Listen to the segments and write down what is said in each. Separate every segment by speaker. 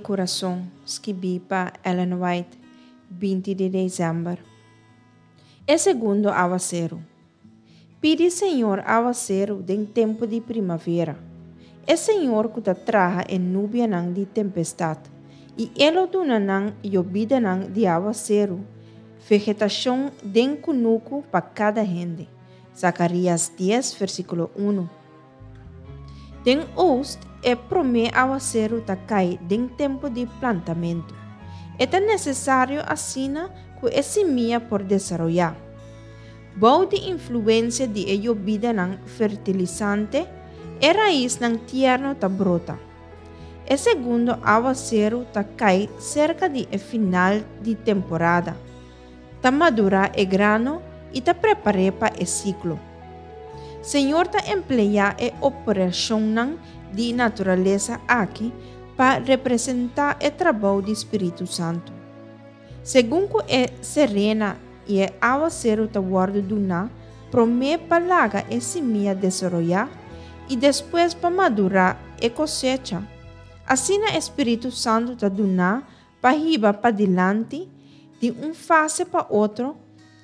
Speaker 1: Kurason, skibí pa Ellen White, 20 di desèmber. E segundo awaseru. Pidi Señor awaseru den tempu di primavera. E Señor ku ta traha e nubianan di tempestat, i E lo duna nan yobidanan di awaseru, vegetashon den kunuku pa kada hende. Zakarias dies, versíkulo unu. Den oost e promé awaseru ta kai den tempu di plantamentu. E ta nesesario asina ku e simia por desaroyá. Bou di influensia di e yobidanan fertilisante, e raisnan tierno ta brota. E segundo awaseru ta kai serka di e final di temporada. Ta madurá e grano i ta prepar'é pa e siklo. Señor ta empleá e operashonnan di naturalesa aki pa representá e trabou di Spiritu Santu. Segun ku e serena i e awaseru ta wòrdu duná promé pa laga e simia desaroyá i despues pa madurá e kosecha, asina e Spiritu Santu ta duná pa hiba padilanti di un fase pa otro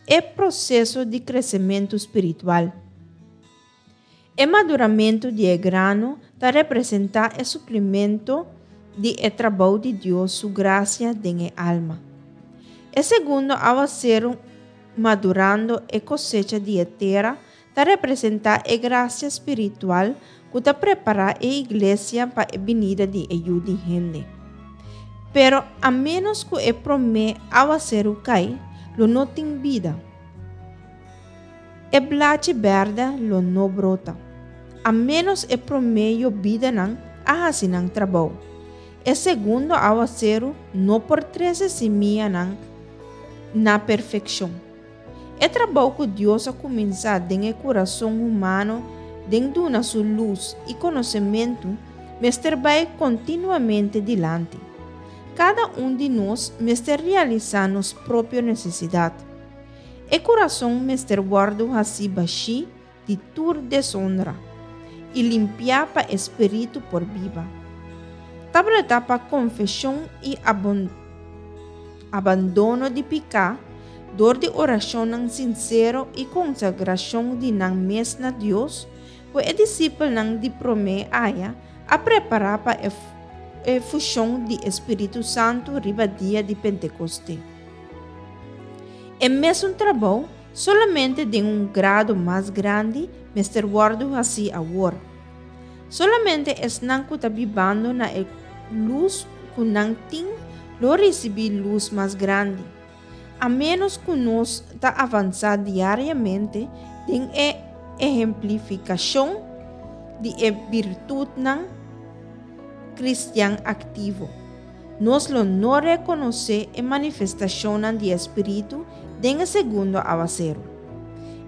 Speaker 1: e proseso di kresementu spiritual. E maduramentu di e grano ta representá e suplimento di e trabou di Dios su grasia den e alma. E segundo awaseru madurando e kosecha di e tera ta representá e grasia spiritual ku ta prepará e iglesia pa e binida di e Yu di hende. Pero a ménos ku e promé awaseru kai, lo no tin bida. E blachi bèrdè lo no brota, a ménos e promé yobidanan a hasi nan trabou. E segundo awaseru no por trese simianan na perfekshon. E trabou ku Dios a kuminsá den e kurason humano den duna su lus i konosementu mester bai kontinuamente dilanti. Kada un di nos mester realisá nos propio nesesidat. E kurason mester wòrdu hasí bashí di tur desonra i limpiá pa e spiritu por biba. Tabata pa konfeshon i abandono di piká dor di orashonnan sinsero i konsagrashon di nan mes na Dios ku e disipelnan di promé aya a prepará pa e fushon di e Spiritu Santu riba dia di Pentekoste. E mesun trabou Solamente den un grado mas grandi mester wòrdu hasí awor. Solamente esnan ku ta bibando na e lus ku nan tin lo risibí lus mas grandi. A ménos ku nos ta avansá diariamente den e ehemplifikashon di e birtutnan kristian aktivo, nos lo no rekonosé e manifestashonnan di e spiritu den e segundo awaseru.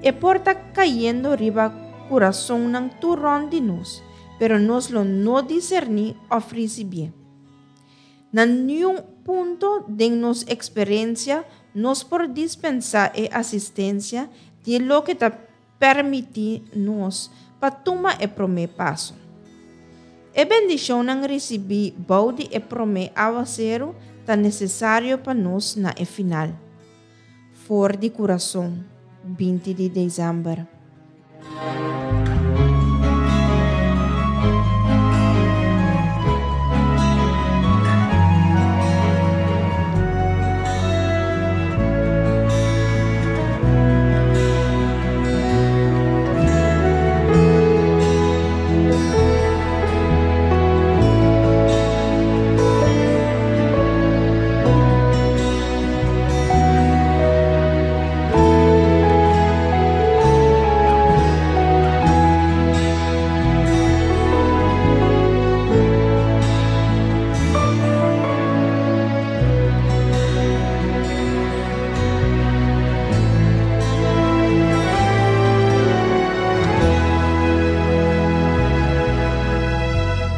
Speaker 1: E por ta kayendo riba kurasonnan tur rònt di nos, pero nos lo no diserní òf risibié. Na niun punto den nos eksperensia nos por dispensá e asistensia di e loke ta Permití nos pa tuma e promé paso. E bendishonnan risibí bou di e promé awaseru ta nesesario pa nos na e final. For di kurason, 20 di desèmber.